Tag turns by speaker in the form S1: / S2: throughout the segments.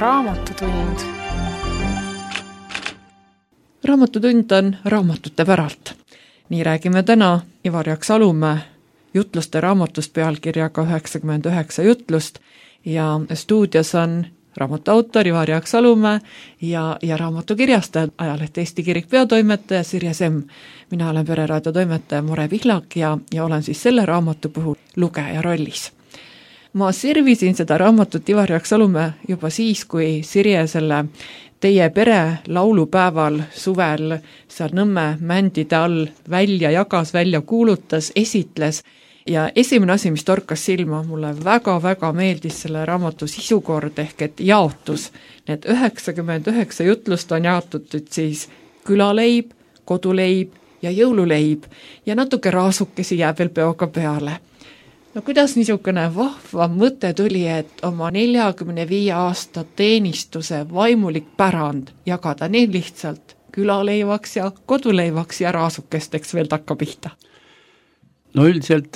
S1: Raamatutund.
S2: Raamatutund on raamatute päralt. Nii räägime täna Ivar Jaksalumäe jutluste raamatust pealkirjaga 99 jutlust ja stuudios on raamatu autor Ivar Jaksalumäe ja raamatukirjastaja, ajaleht Eesti Kirik peatoimetaja Sirje Semm. Mina olen Pereraadio toimetaja More Pihlak ja olen siis selle raamatu puhul lugeja rollis. Ma servisin seda raamatut Ivar Jaksalumäe juba siis, kui Sirje selle teie pere laulupäeval suvel seal Nõmme mändide all jagas, välja kuulutas, esitles. Ja esimene asi, mis torkas silma, mulle väga-väga meeldis selle raamatu sisukord ehk et jaotus. Need 99 jutlust on jaotutud siis külaleib, koduleib ja jõululeib ja natuke raasukesi jääb veel peoga peale. No kuidas niisugune vahva mõte tuli, et oma 45 aasta teenistuse vaimulik pärand jagada nii lihtsalt külaleivaks ja koduleivaks ja raasukesteks veel takka pihta?
S3: No üldiselt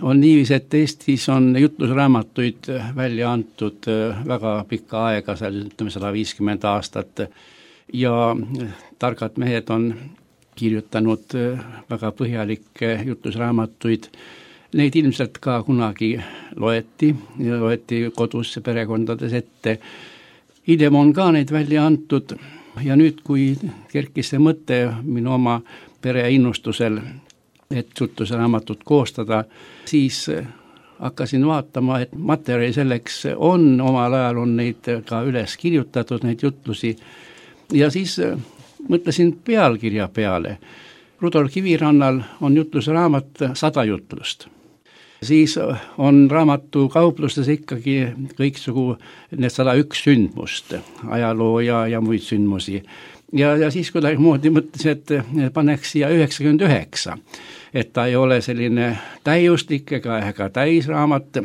S3: on niivis, et Eestis on jutlusraamatuid välja antud väga pikka aega, seal ütleme 150 aastat ja targad mehed on kirjutanud väga põhjalikke jutlusraamatuid. Neid ilmselt ka kunagi loeti kodus perekondades ette. Hiljem on ka neid välja antud ja nüüd, kui kerkis see mõte minu oma pere innustusel, et jutlusraamatut koostada, siis hakkasin vaatama, et materjali selleks on, omal ajal on neid ka üles kirjutatud, neid jutlusi, ja siis mõtlesin pealkirja peale. Rudolf Kivirannal on jutlusraamat 100 jutlust. Siis on raamatu kauplustes ikkagi kõiksugu need 101 sündmust, ajaloo ja muid sündmusi. Ja siis kuidagi mõtlesin, et paneks siia 99, et ta ei ole selline täiuslik ega täisraamat.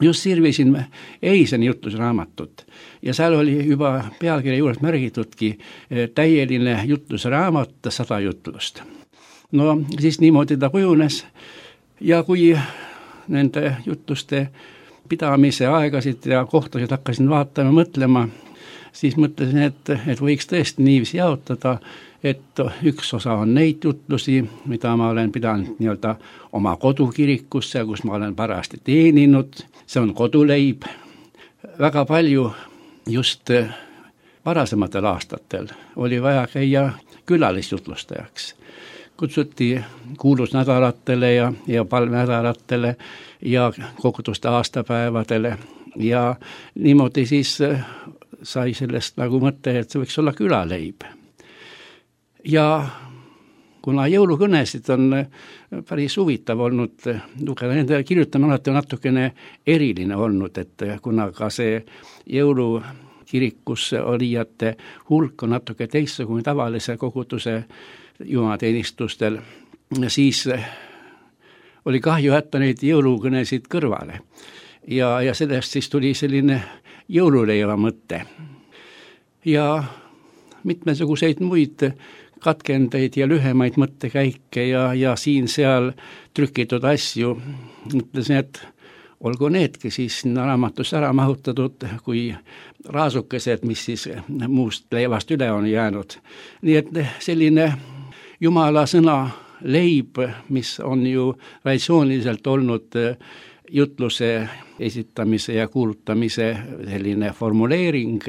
S3: Just sirvisin eisen jutlusraamatut ja seal oli juba pealkirja juures märgitudki täieline jutlusraamat 100 jutlust. No siis niimoodi ta kujunes ja kui nende jutluste pidamise aegasid ja kohtasid hakkasin vaatama, mõtlema, siis mõtlesin, et võiks tõesti niiviisi jaotada, et üks osa on neid jutlusi, mida ma olen pidanud nii-öelda oma kodukirikusse, kus ma olen parajasti teeninud, see on koduleib. Väga palju just varasematel aastatel oli vaja käia külalisjutlustajaks. Kutsuti kuulusnädalatele ja palvenädalatele ja koguduste aastapäevadele ja niimoodi siis sai sellest nagu mõte, et see võiks olla külaleib. Ja kuna jõulukõnesid on päris huvitav olnud lugeda, nende kirjutamine alati on natukene eriline olnud, et kuna ka see jõulukirikus olijate hulk on natuke teistsugune tavalise koguduse jumalateenistustel, siis oli kahju jätta neid jõulukõnesid kõrvale. Ja sellest siis tuli selline jõululeiva mõte. Ja mitmesuguseid muid katkendeid ja lühemaid mõttekäike ja siin-seal trükitud asju. Mõtlesin, et olgu needki siis sinna raamatusse ära mahutatud, kui raasukesed, mis siis muust leivast üle on jäänud. Nii et selline Jumala sõna leib, mis on ju traditsiooniliselt olnud jutluse esitamise ja kuulutamise selline formuleering,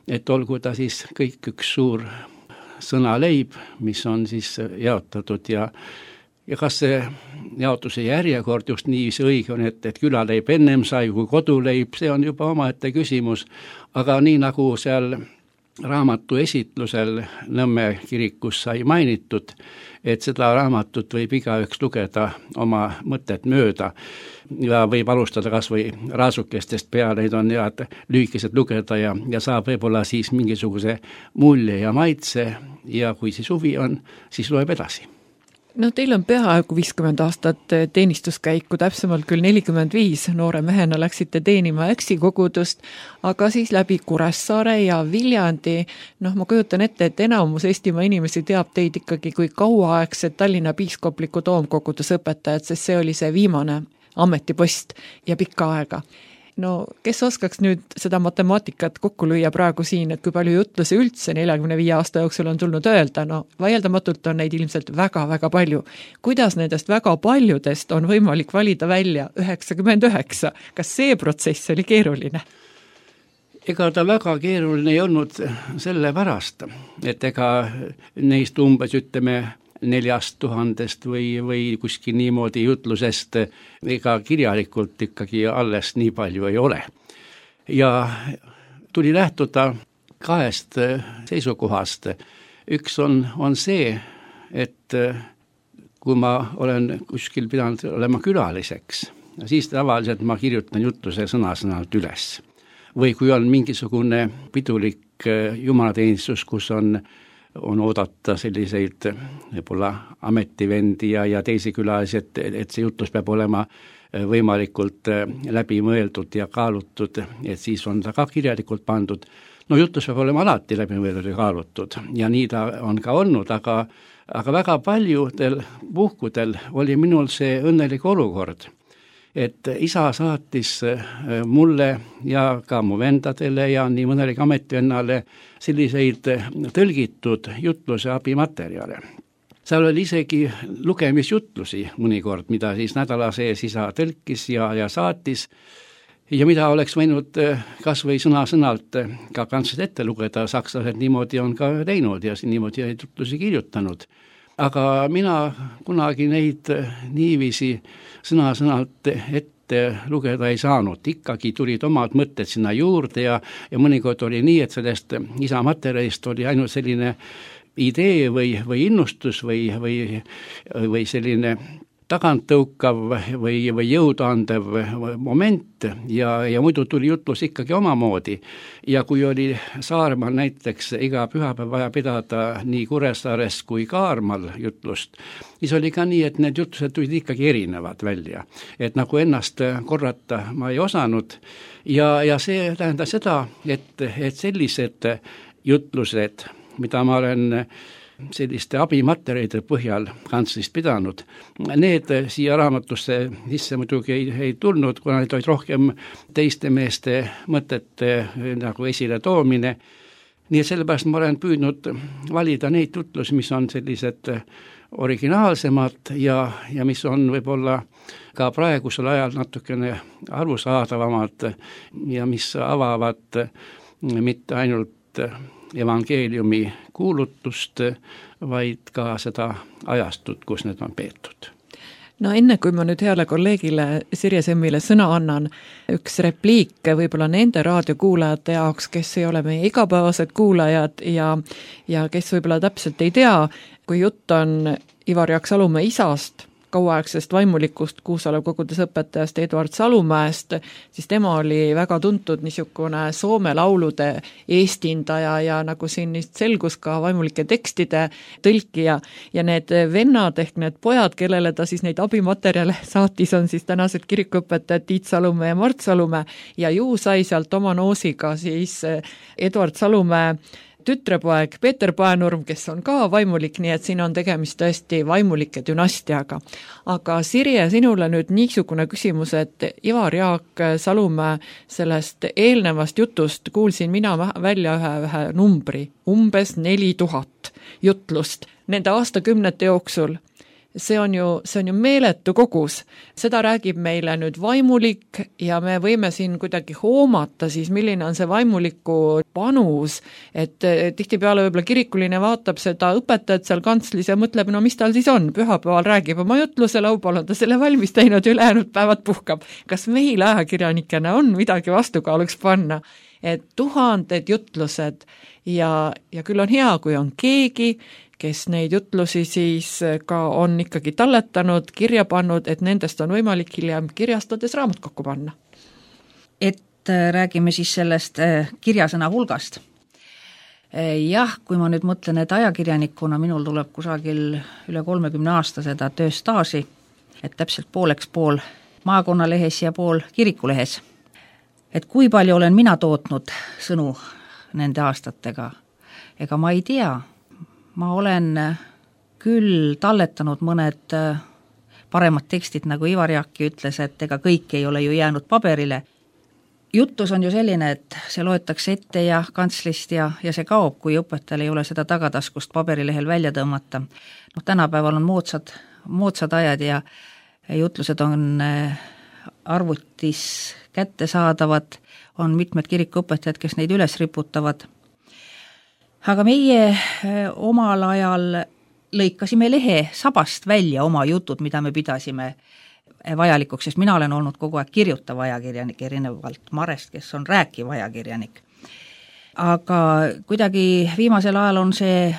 S3: et olgu ta siis kõik üks suur sõna leib, mis on siis jaotatud ja kas see jaotuse järjekord just niiviisi õige on, et külaleib ennem sai kui koduleib, see on juba omaette küsimus, aga nii nagu seal raamatu esitlusel Nõmme kirikus sai mainitud, et seda raamatut võib igaüks lugeda oma mõtet mööda ja võib alustada kas või raasukestest peale, neid on head lühikesed lugeda ja saab võib-olla siis mingisuguse mulje ja maitse ja kui siis huvi on, siis loeb edasi.
S2: No teil on peaaegu 50 aastat teenistuskäiku, täpsemalt küll 45, noore mehena läksite teenima Äksi kogudust, aga siis läbi Kuressaare ja Viljandi. Ma kujutan ette, et enamus Eestimaa inimesi teab teid ikkagi kui kauaaegset Tallinna piiskopliku toomkoguduse õpetajat, sest see oli see viimane ametipost ja pikka aega. no kes oskaks nüüd seda matemaatikat kokku lüüa praegu siin, et kui palju jutlusi üldse 45 aasta jooksul on tulnud öelda, no vaieldamatult on neid ilmselt väga-väga palju. Kuidas nendest väga paljudest on võimalik valida välja 99? Kas see protsess oli keeruline?
S3: Ega ta väga keeruline ei olnud selle pärast, et ega neist umbes ütleme 4000 või kuskil niimoodi jutlusest ega kirjalikult ikkagi alles nii palju ei ole. Ja tuli lähtuda kahest seisukohast. Üks on see, et kui ma olen kuskil pidanud olema külaliseks, siis tavaliselt ma kirjutan jutluse sõna-sõnalt üles. Või kui on mingisugune pidulik jumalateenistus, kus on oodata selliseid võib-olla ametivendi ja teisi külalisi, et see jutlus peab olema võimalikult läbi mõeldud ja kaalutud, et siis on ta ka kirjalikult pandud. No jutlus peab olema alati läbi mõeldud ja kaalutud ja nii ta on ka olnud, aga väga paljudel puhkudel oli minul see õnnelik olukord, et isa saatis mulle ja ka mu vendadele ja nii mõnelegi ametivennale selliseid tõlgitud jutluse abimaterjale. Seal oli isegi lugemisjutlusi mõnikord, mida siis nädala sees isa tõlkis ja saatis ja mida oleks võinud kas või sõna-sõnalt ka kantsed ette lugeda, sakslased niimoodi on ka teinud ja niimoodi jutlusi kirjutanud. Aga mina kunagi neid niiviisi sõna-sõnalt ette lugeda ei saanud. Ikkagi tulid omad mõtted sinna juurde ja mõnikord oli nii, et sellest isa materjalist oli ainult selline idee või innustus või selline taganttõukav või jõudandev moment ja muidu tuli jutlus ikkagi omamoodi. Ja kui oli Saaremaal näiteks iga pühapäev vaja pidada nii Kuressaares kui Kaarmal jutlust, siis oli ka nii, et need jutlused tulid ikkagi erinevad välja. Et nagu ennast korrata ma ei osanud ja see tähendas seda, et sellised jutlused, mida ma olen selliste abimaterjalide põhjal kantslist pidanud. Need siia raamatusse sisse muidugi ei tulnud, kuna need olid rohkem teiste meeste mõtete nagu esile toomine. Nii et sellepärast ma olen püüdnud valida neid jutlusi, mis on sellised originaalsemad ja mis on võib-olla ka praegusel ajal natukene arusaadavamad ja mis avavad mitte ainult evangeeliumi kuulutust, vaid ka seda ajastut, kus need on peetud.
S2: No enne kui ma nüüd heale kolleegile Sirje Semmile sõna annan, üks repliik võib-olla nende raadiokuulajate jaoks, kes ei ole meie igapäevased kuulajad ja kes võib-olla täpselt ei tea, kui jutt on Ivar Jaak Salumäe isast, kauaaegsest vaimulikust Kuusalu kogudes õpetajast Eduard Salumäest, siis tema oli väga tuntud niisugune Soome laulude eestindaja ja nagu siin selgus ka vaimulike tekstide tõlkija ja need vennad ehk need pojad, kellele ta siis neid abimaterjale saatis, on siis tänased kirikuõpetajad Tiit Salumäe ja Mart Salumäe ja ju sai sealt oma noosiga siis Eduard Salumäe tütrepoeg Peeter Paenurm, kes on ka vaimulik, nii et siin on tegemist tõesti vaimulike dünastiaga. Aga Sirje, sinule nüüd niisugune küsimus, et Ivar Jaak Salumäe sellest eelnevast jutust kuulsin mina välja ühe numbri, umbes 4000 jutlust nende aastakümnete jooksul. See on ju meeletu kogus. Seda räägib meile nüüd vaimulik ja me võime siin kuidagi hoomata siis, milline on see vaimuliku panus, et tihtipeale võib-olla kirikuline vaatab seda õpetajat seal kantslis ja mõtleb, no mis tal siis on, pühapäeval räägib oma jutluse, laupäeval on ta selle valmis teinud, ülejäänud päevad puhkab. Kas meil ajakirjanikena on midagi vastukaaluks panna, et tuhanded jutlused ja küll on hea, kui on keegi, kes neid jutlusi siis ka on ikkagi talletanud, kirja pannud, et nendest on võimalik hiljem kirjastades raamat kokku panna.
S1: Et räägime siis sellest kirjasõna hulgast. Jah, kui ma nüüd mõtlen, et ajakirjanikuna minul tuleb kusagil üle 30 aasta seda tööstaaži, et täpselt pooleks pool maakonnalehes ja pool kirikulehes. Et kui palju olen mina tootnud sõnu nende aastatega, ega ma ei tea. Ma olen küll talletanud mõned paremad tekstid, nagu Ivar Jaakki ütles, et ega kõik ei ole ju jäänud paberile. jutlus on ju selline, et see loetakse ette ja kantslist ja see kaob, kui õpetajal ei ole seda tagataskust paberilehel välja tõmmata. Tänapäeval on moodsad ajad ja jutlused on arvutis kättesaadavad, on mitmed kirikuõpetajad, kes neid üles riputavad. Aga meie omal ajal lõikasime lehe sabast välja oma jutud, mida me pidasime vajalikuks, sest mina olen olnud kogu aeg kirjutav ajakirjanik, erinevalt Marest, kes on rääkiv ajakirjanik. Aga kuidagi viimasel ajal on see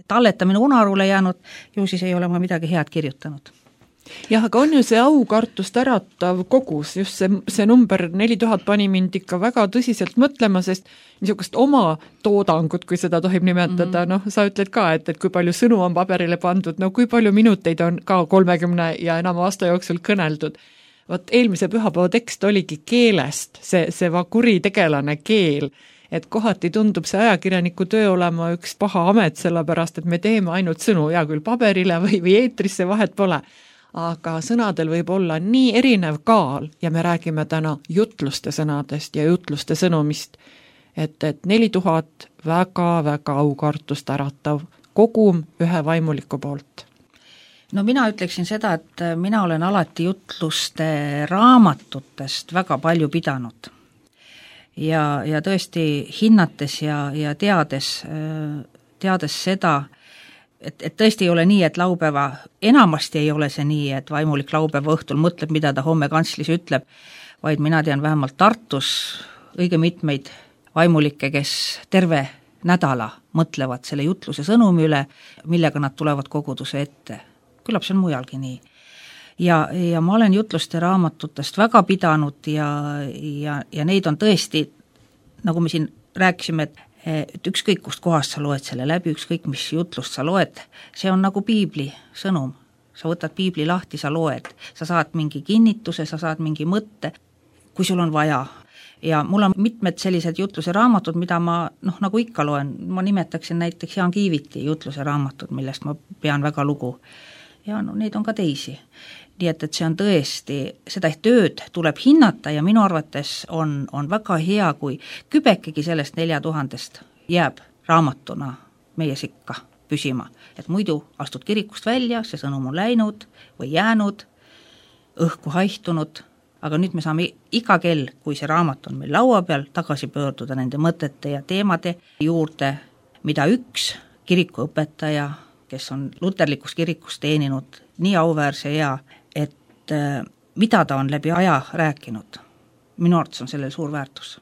S1: talletamine unarule jäänud, ju siis ei ole ma midagi head kirjutanud.
S2: Jah, aga on ju see aukartust äratav kogus, just see number 4000 pani mind ikka väga tõsiselt mõtlema, sest niisugust oma toodangut, kui seda tohib nimetada, sa ütled ka, et kui palju sõnu on paberile pandud, kui palju minuteid on ka 30 ja enama aasta jooksul kõneldud. Vot eelmise pühapäeva tekst oligi keelest, see kuritegelane keel, et kohati tundub see ajakirjaniku töö olema üks paha amet, sellepärast, et me teeme ainult sõnu, ja küll paberile või eetrisse, vahet pole. Aga sõnadel võib olla nii erinev kaal ja me räägime täna jutluste sõnadest ja jutluste sõnumist, et 4000 väga-väga aukartust äratav kogum ühe vaimuliku poolt.
S1: Mina ütleksin seda, et mina olen alati jutluste raamatutest väga palju pidanud. Ja tõesti hinnates ja teades seda, et tõesti ei ole nii, et laupäeva, enamasti ei ole see nii, et vaimulik laupäeva õhtul mõtleb, mida ta homme kantslis ütleb, vaid mina tean vähemalt Tartus õige mitmeid vaimulikke, kes terve nädala mõtlevad selle jutluse sõnumi üle, millega nad tulevad koguduse ette. Küllap see on mujalgi nii. Ja ma olen jutluste raamatutest väga pidanud ja neid on tõesti, nagu me siin rääkisime, et ükskõik kust kohast sa loed selle läbi, ükskõik mis jutlust sa loed, see on nagu piibli sõnum. Sa võtad piibli lahti, sa loed, sa saad mingi kinnituse, sa saad mingi mõtte, kui sul on vaja. Ja mul on mitmed sellised jutluse raamatud, mida ma nagu ikka loen, ma nimetaksin näiteks Jaan Kiiviti jutluse raamatud, millest ma pean väga lugu. Ja neid on ka teisi. Nii et see on tõesti, seda tööd tuleb hinnata ja minu arvates on väga hea, kui kübekegi sellest 4000 jääb raamatuna meie sikka püsima. Et muidu astud kirikust välja, see sõnum on läinud või jäänud, õhku haihtunud, aga nüüd me saame iga kell, kui see raamat on meil laua peal, tagasi pöörduda nende mõtete ja teemade juurde, mida üks kirikuõpetaja, kes on luterlikus kirikus teeninud nii auväärse ea, et mida ta on läbi aja rääkinud. Minu arvates on sellel suur väärtus.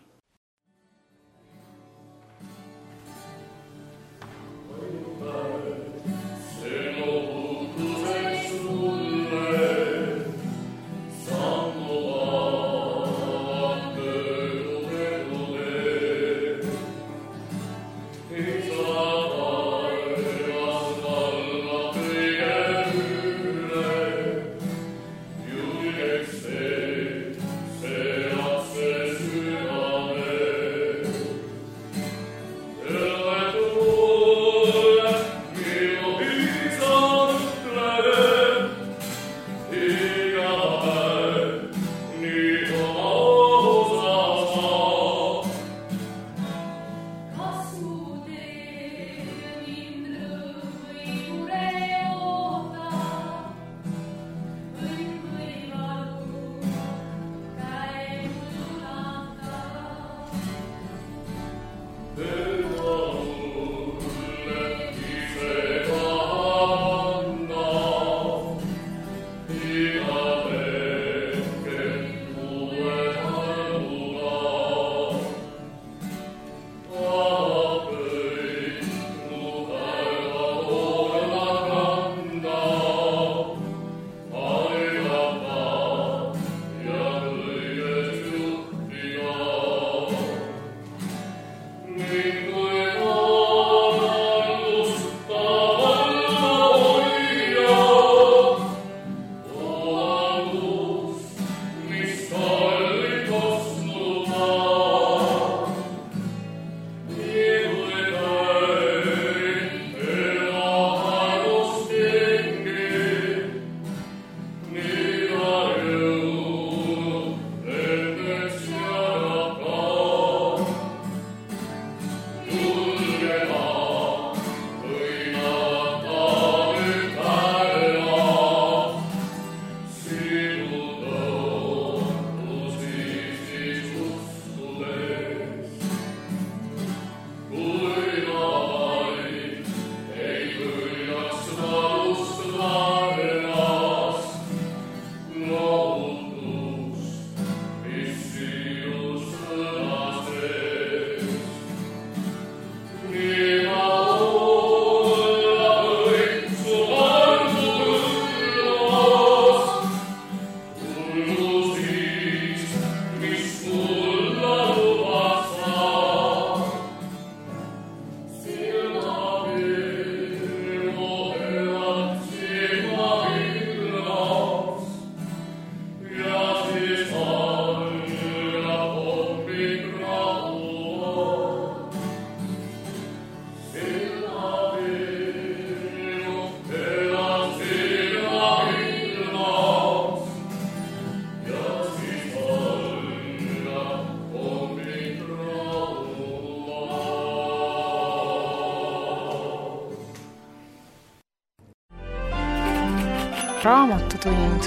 S4: Raamatutund.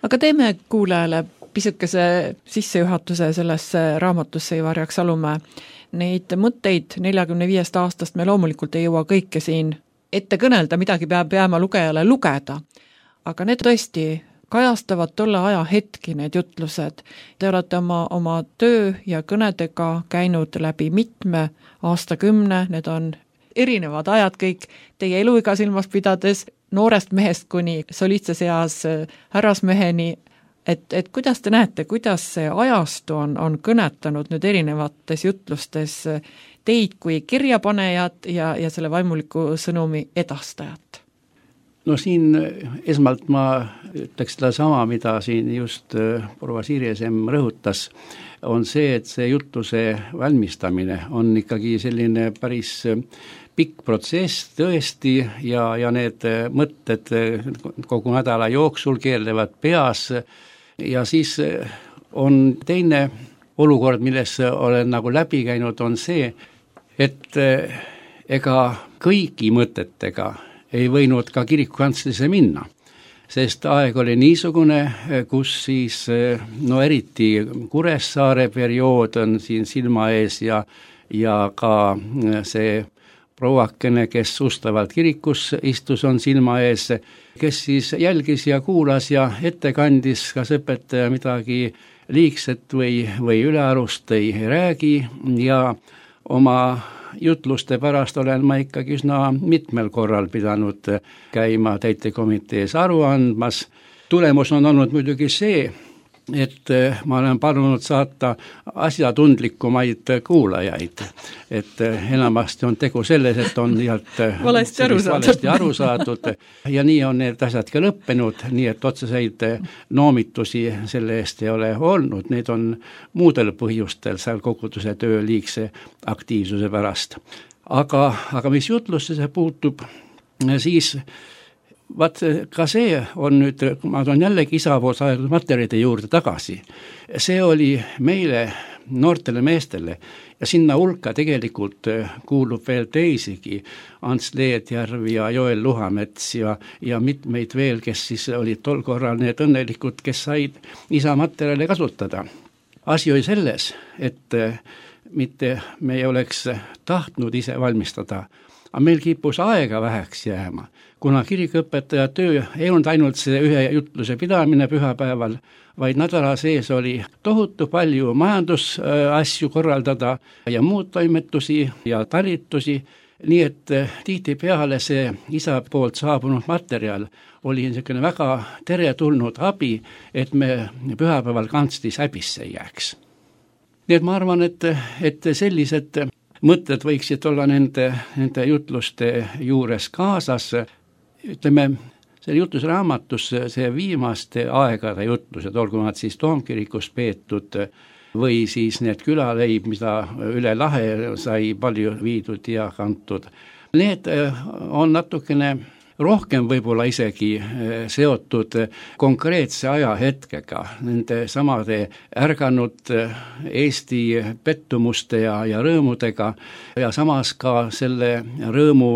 S2: Aga teeme kuulajale pisukese sissejuhatuse sellesse raamatusse Ivar Jaksalumäe. Neid mõtteid 45 aastast me loomulikult ei jõua kõike siin ette kõnelda, midagi peab jääma lugejale lugeda. Aga need tõesti kajastavad tolle aja hetki, need jutlused. Te olete oma töö ja kõnedega käinud läbi mitme aastakümne, need on erinevad ajad kõik teie eluiga silmas pidades, noorest mehest kuni solistses eas härrasmeheni, et kuidas te näete, kuidas see ajastu on kõnetanud nüüd erinevates jutlustes teid kui kirjapanejat ja selle vaimuliku sõnumi edastajat?
S3: No siin esmalt ma ütleks seda sama, mida siin just proua Sirjesem rõhutas, on see, et see jutluse valmistamine on ikkagi selline päris pikk protsess tõesti ja need mõtted kogu nädala jooksul keerlevad peas ja siis on teine olukord, milles olen nagu läbi käinud, on see, et ega kõigi mõtetega ei võinud ka kirikukantslisse minna, sest aeg oli niisugune, kus siis eriti Kuressaare periood on siin silma ees ja ka see prouakene, kes ustavalt kirikus istus, on silma ees, kes siis jälgis ja kuulas ja ette kandis, kas õpetaja midagi liigset või ülearust ei räägi ja oma jutluste pärast olen ma ikkagi üsna mitmel korral pidanud käima täitekomitees aru andmas. Tulemus on olnud muidugi see, et ma olen palunud saata asjatundlikumaid kuulajaid, et enamasti on tegu selles, et on valesti aru saadud ja nii on need asjad ka lõppenud, nii et otseseid noomitusi selle eest ei ole olnud, need on muudel põhjustel seal koguduse töö liigse aktiivsuse pärast. Aga mis jutlusse puutub, siis vaat ka see on nüüd, ma toon jällegi isa poolt saadud materjalide juurde tagasi, see oli meile, noortele meestele ja sinna hulka tegelikult kuulub veel teisigi, Ants Leedjärv ja Joel Luhamets ja mitmeid veel, kes siis olid tol korral need õnnelikud, kes said isa materjale kasutada. Asi oli selles, et mitte me ei oleks tahtnud ise valmistada, aga meil kipus aega väheks jääma, kuna kirikuõpetaja töö ei olnud ainult see ühe jutluse pidamine pühapäeval, vaid nädala sees oli tohutu palju majandusasju korraldada ja muud toimetusi ja talitusi, nii et tihtipeale see isa poolt saabunud materjal oli niisugune väga teretulnud abi, et me pühapäeval kantslis häbisse ei jääks. Nii et ma arvan, et sellised mõtted võiksid olla nende jutluste juures kaasas. Ütleme, selle jutlusraamatus see viimaste aegade jutlused, olgu nad siis Toomkirikus peetud või siis need külaleib, mida üle lahe sai palju viidud ja kantud. Need on natukene rohkem võib-olla isegi seotud konkreetse ajahetkega, nende samade ärganud Eesti pettumuste ja rõõmudega ja samas ka selle rõõmu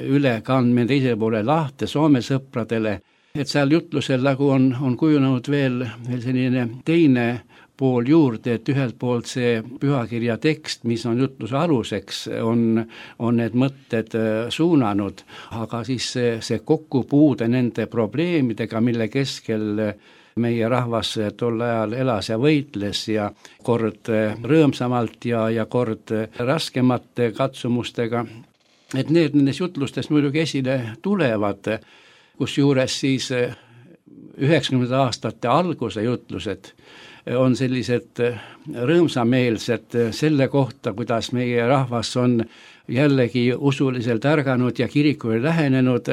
S3: ülekandmine teisele poole lahte Soome sõpradele, et seal jutlusel nagu on kujunenud veel selline teine pool juurde, et ühelt poolt see pühakirja tekst, mis on jutluse aluseks, on need mõtted suunanud, aga siis see kokkupuude nende probleemidega, mille keskel meie rahvas tol ajal elas ja võitles ja kord rõõmsamalt ja kord raskemate katsumustega, et need nendes jutlustes muidugi esile tulevad, kusjuures siis 90. aastate alguse jutlused on sellised rõõmsameelsed selle kohta, kuidas meie rahvas on jällegi usuliselt ärganud ja kirikule lähenenud,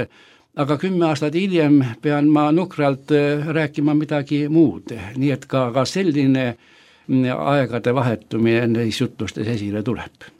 S3: aga 10 aastat hiljem pean ma nukralt rääkima midagi muud, nii et ka selline aegade vahetumine neis jutlustes esile tuleb.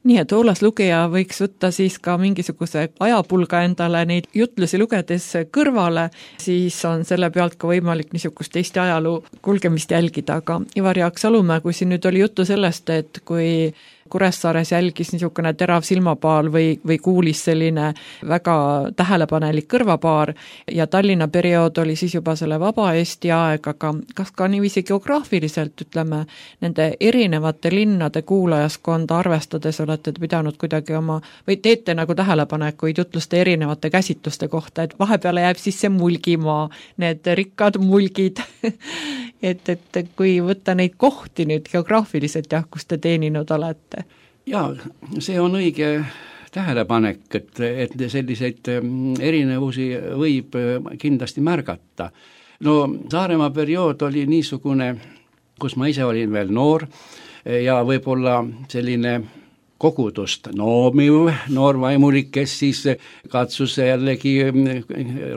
S2: Nii et hoolas lugeja võiks võtta siis ka mingisuguse ajapulga endale neid jutlusi lugedes kõrvale, siis on selle pealt ka võimalik niisugust Eesti ajaloo kulgemist jälgida, aga Ivar Jaksalumäe, kui siin nüüd oli juttu sellest, et kui Kuressaares jälgis niisugune terav silmapaal või kuulis selline väga tähelepanelik kõrvapaar ja Tallinna periood oli siis juba selle vaba Eesti aeg, aga kas ka niiviisi geograafiliselt, ütleme, nende erinevate linnade kuulajaskonda arvestades olete pidanud kuidagi või teete nagu tähelepanekuid jutluste erinevate käsitluste kohta, et vahepeale jääb siis see Mulgimaa, need rikkad mulgid et kui võtta neid kohti nüüd geograafiliselt jah, kus te teeninud olete?
S3: Jaa, see on õige tähelepanek, et selliseid erinevusi võib kindlasti märgata. No Saaremaa periood oli niisugune, kus ma ise olin veel noor ja võib-olla selline kogudust noomiv noor vaimulik, kes siis katsus jällegi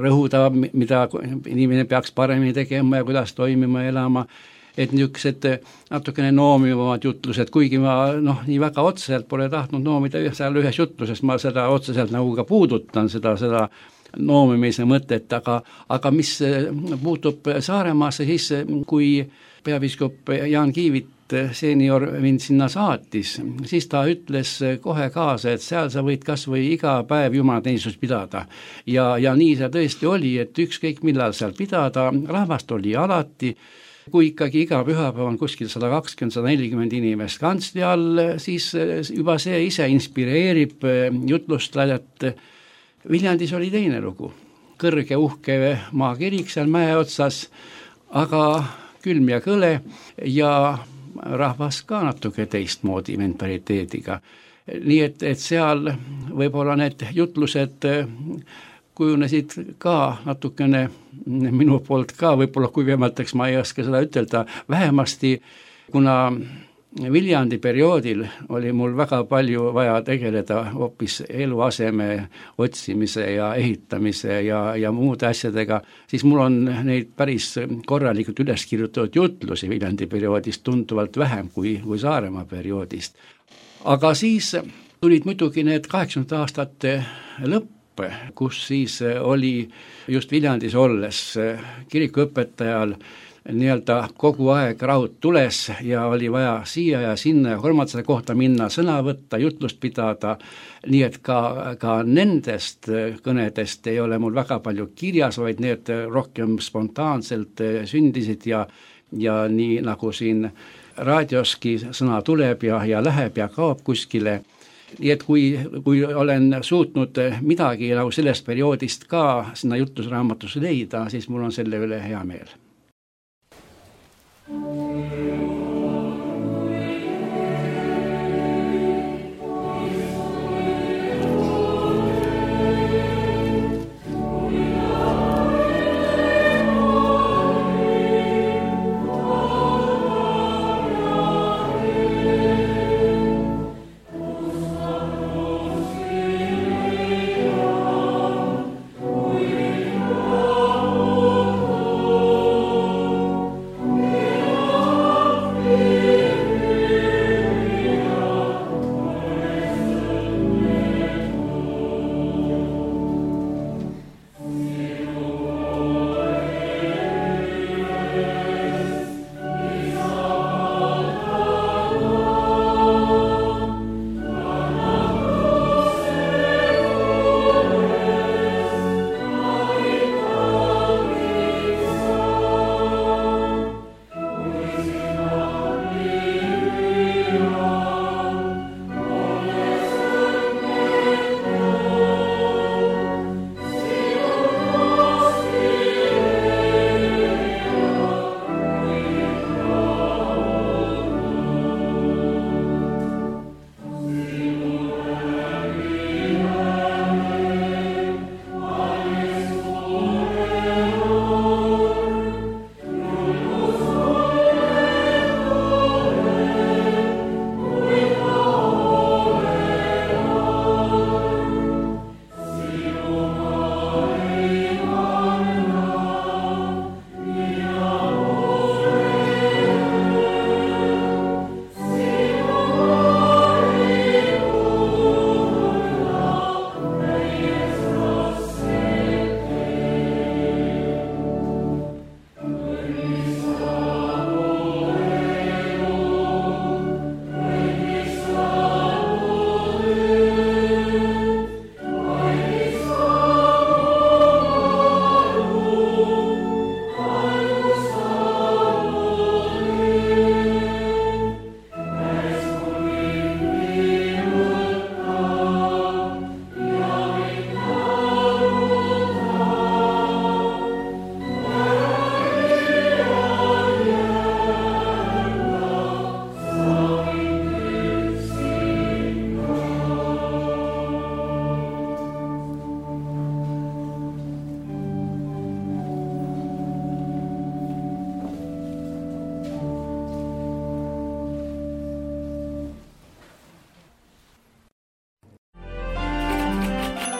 S3: rõhuda, mida inimene peaks paremini tegema ja kuidas toimima ja elama, et niisugused natukene noomivamad jutlused, kuigi ma nii väga otseselt pole tahtnud noomida seal ühes jutluses, ma seda otseselt nagu ka puudutan, seda noomimise mõtet, aga mis puutub Saaremaasse, siis kui peapiiskop Jaan Kiivit seenior mind sinna saatis, siis ta ütles kohe kaasa, et seal sa võid kas või iga päev jumalateenistust pidada. Ja nii see tõesti oli, et ükskõik millal seal pidada, rahvast oli alati, kui ikkagi iga pühapäev on kuskil 120-140 inimest kantsli all, siis juba see ise inspireerib jutlustajat. Viljandis oli teine lugu, kõrge uhke maakirik seal mäe otsas, aga külm ja kõle ja rahvas ka natuke teistmoodi mentaliteediga. Nii et seal võib-olla need jutlused kujunesid ka natukene minu poolt ka, võib-olla kuivemateks ma ei oska seda ütelda, vähemasti kuna Viljandi perioodil oli mul väga palju vaja tegeleda hoopis eluaseme otsimise ja ehitamise ja muude asjadega, siis mul on neid päris korralikult üles kirjutatud jutlusi Viljandi perioodist tunduvalt vähem kui Saaremaa perioodist. Aga siis tulid muidugi need 80 aastate lõpp, kus siis oli just Viljandis olles kirikuõpetajal nii-öelda kogu aeg raud tules ja oli vaja siia ja sinna ja kolmandasse kohta minna, sõna võtta, jutlust pidada, nii et ka nendest kõnedest ei ole mul väga palju kirjas, vaid need rohkem spontaanselt sündisid ja nii nagu siin raadioski sõna tuleb ja läheb ja kaob kuskile. Nii et kui olen suutnud midagi nagu sellest perioodist ka sinna jutlusraamatus leida, siis mul on selle üle hea meel.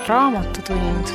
S4: raamatutund.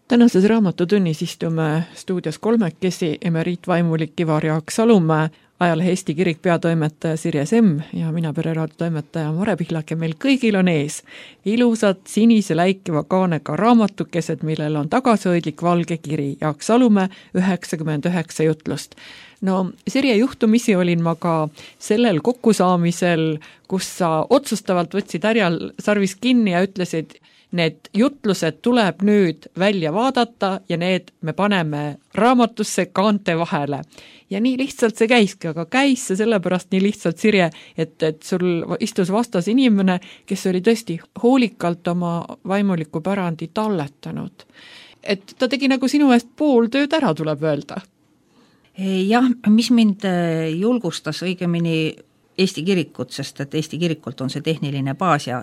S2: Tänases raamatutunnis istume stuudios kolmekesi emeriitvaimulik Ivar Jaak Salumäe, ajalehe Eesti Kirik peatoimetaja Sirje Semm ja mina pereraadio toimetaja Mare Pihlak ja meil kõigil on ees ilusad sinise läikiva kaanega raamatukesed, millel on tagasihoidlik valge kiri Jaak Salumäe 99 jutlust. No Sirje, juhtumisi olin ma ka sellel kokkusaamisel, kus sa otsustavalt võtsid härjal sarvis kinni ja ütlesid, need jutlused tuleb nüüd välja vaadata ja need me paneme raamatusse kaante vahele. Ja nii lihtsalt see käiski, aga käis see sellepärast nii lihtsalt, Sirje, et sul istus vastas inimene, kes oli tõesti hoolikalt oma vaimuliku pärandi talletanud. Et ta tegi nagu sinu eest pool tööd ära, tuleb öelda.
S1: Jah, mis mind julgustas õigemini Eesti Kirikut, sest et Eesti Kirikult on see tehniline baas ja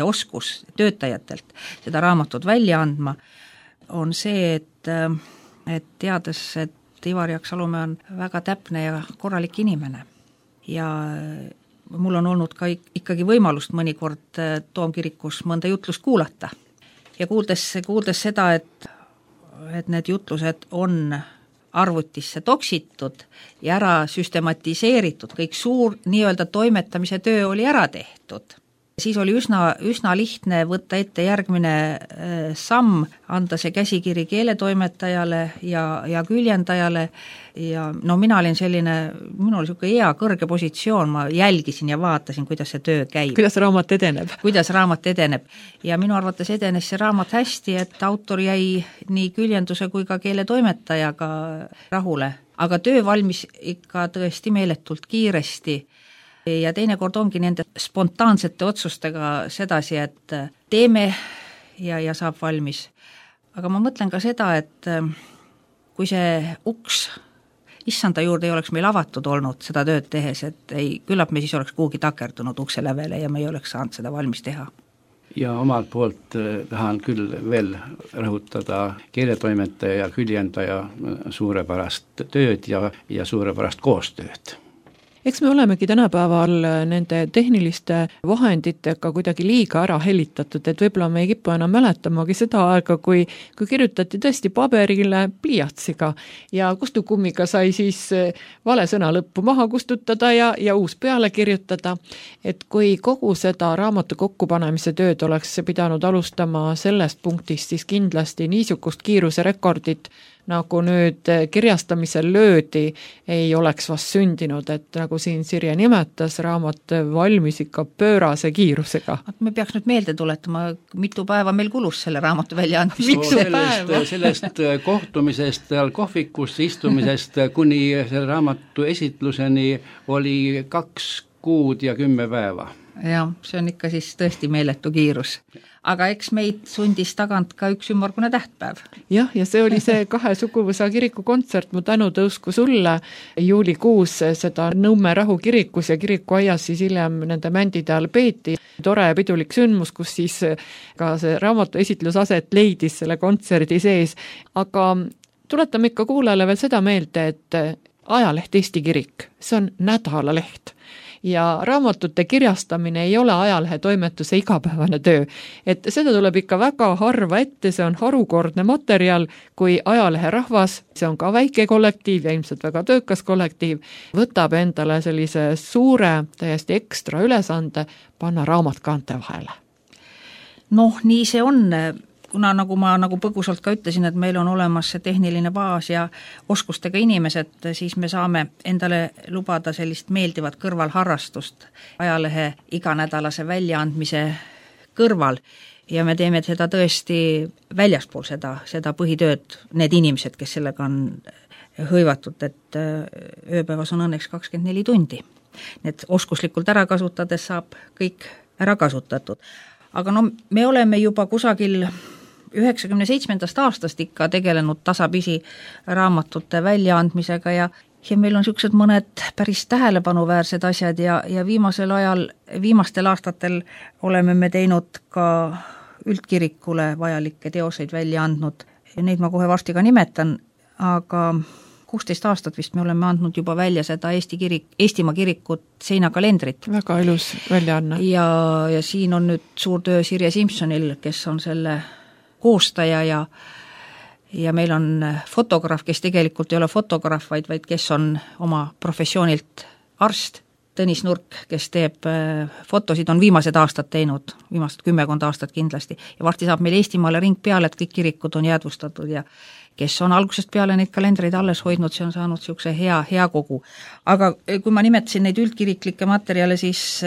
S1: oskus töötajatelt seda raamatut välja andma, on see, et teades, et Ivar Jaak Salumäe on väga täpne ja korralik inimene. Ja mul on olnud ka ikkagi võimalust mõnikord Toomkirikus mõnda jutlust kuulata. Ja kuuldes seda, et need jutlused on arvutisse toksitud ja ära süstematiseeritud, kõik suur nii-öelda toimetamise töö oli ära tehtud. Siis oli üsna lihtne võtta ette järgmine samm, anda see käsikiri keeletoimetajale ja küljendajale ja no minul oli selline hea kõrge positsioon, ma jälgisin ja vaatasin, kuidas see töö käib.
S2: Kuidas raamat edeneb. Ja minu arvates edenes see raamat hästi, et autor jäi nii küljenduse kui ka keeletoimetajaga rahule. Aga töö valmis ikka tõesti meeletult kiiresti. Ja teinekord ongi nende spontaansete otsustega sedasi, et teeme ja saab valmis. Aga ma mõtlen ka seda, et kui see uks issanda juurde ei oleks meil avatud olnud seda tööd tehes, et küllap me siis oleks kuhugi takerdunud ukse lävele ja me ei oleks saanud seda valmis teha.
S3: Ja omalt poolt tahan küll veel rõhutada keeletoimetaja ja küljendaja suurepärast tööd ja suurepärast koostööd.
S2: Eks me olemegi tänapäeval nende tehniliste vahenditega kuidagi liiga ära helitatud, et võib-olla me ei kipu enam mäletamagi seda aega, kui kirjutati tõesti paberile pliiatsiga ja kustukummiga sai siis vale sõna lõppu maha kustutada ja uus peale kirjutada. Et kui kogu seda raamatu kokkupanemise tööd oleks pidanud alustama sellest punktist, siis kindlasti niisugust kiiruse rekordit nagu nüüd kirjastamisel löödi, ei oleks vast sündinud, et nagu siin Sirje nimetas, raamat valmis ikka pöörase kiirusega.
S1: Me peaks nüüd meelde tuletama, mitu päeva meil kulus selle raamatu väljaandmisest.
S3: Sellest kohtumisest, kohvikus istumisest kuni selle raamatu esitluseni oli 2 kuud ja 10 päeva.
S1: Ja, see on ikka siis tõesti meeletu kiirus. Aga eks meid sundis tagant ka üks ümmargune tähtpäev.
S2: Jah, ja see oli see 2 suguvõsa kiriku kontsert, mu tänu tõusku sulle juulikuus seda Nõmme Rahu kirikus ja kirikuaias siis hiljem nende mändide all peeti. Tore pidulik sündmus, kus siis ka see raamatu esitlusaset leidis selle kontserdi sees. Aga tuletame ikka kuulajale veel seda meelde, et ajaleht Eesti Kirik, see on nädalaleht. Ja raamatute kirjastamine ei ole ajalehe toimetuse igapäevane töö. Et seda tuleb ikka väga harva ette, see on harukordne materjal, kui ajalehe rahvas, see on ka väike kollektiiv ja ilmselt väga töökas kollektiiv, võtab endale sellise suure, täiesti ekstra ülesande panna raamat kaante vahele.
S1: Noh, nii see on. Kuna nagu ma põgusalt ka ütlesin, et meil on olemas see tehniline baas ja oskustega inimesed, siis me saame endale lubada sellist meeldivat kõrvalharrastust ajalehe iganädalase väljaandmise kõrval ja me teeme seda tõesti väljaspool seda põhitööd, need inimesed, kes sellega on hõivatud, et ööpäevas on õnneks 24 tundi. Need oskuslikult ära kasutades saab kõik ära kasutatud. Aga no me oleme juba kusagil 97. aastast ikka tegelenud tasapisi raamatute väljaandmisega ja meil on niisugused mõned päris tähelepanuväärsed asjad ja viimastel aastatel oleme me teinud ka üldkirikule vajalikke teoseid välja andnud. Neid ma kohe varsti ka nimetan, aga 16 aastat vist me oleme andnud juba välja seda Eestimaa kirikut seinakalendrit.
S2: Väga ilus väljaanne.
S1: Ja siin on nüüd suur töö Sirje Simsonil, kes on selle koostaja ja meil on fotograaf, kes tegelikult ei ole fotograaf, vaid kes on oma professioonilt arst, Tõnis Nurk, kes teeb fotosid, on viimased aastad teinud, viimased 10 aastat kindlasti, ja varsti saab meil Eestimaale ring peale, et kõik kirikud on jäädvustatud ja kes on algusest peale neid kalendreid alles hoidnud, see on saanud niisuguse hea kogu. Aga kui ma nimetasin neid üldkiriklikke materjale, siis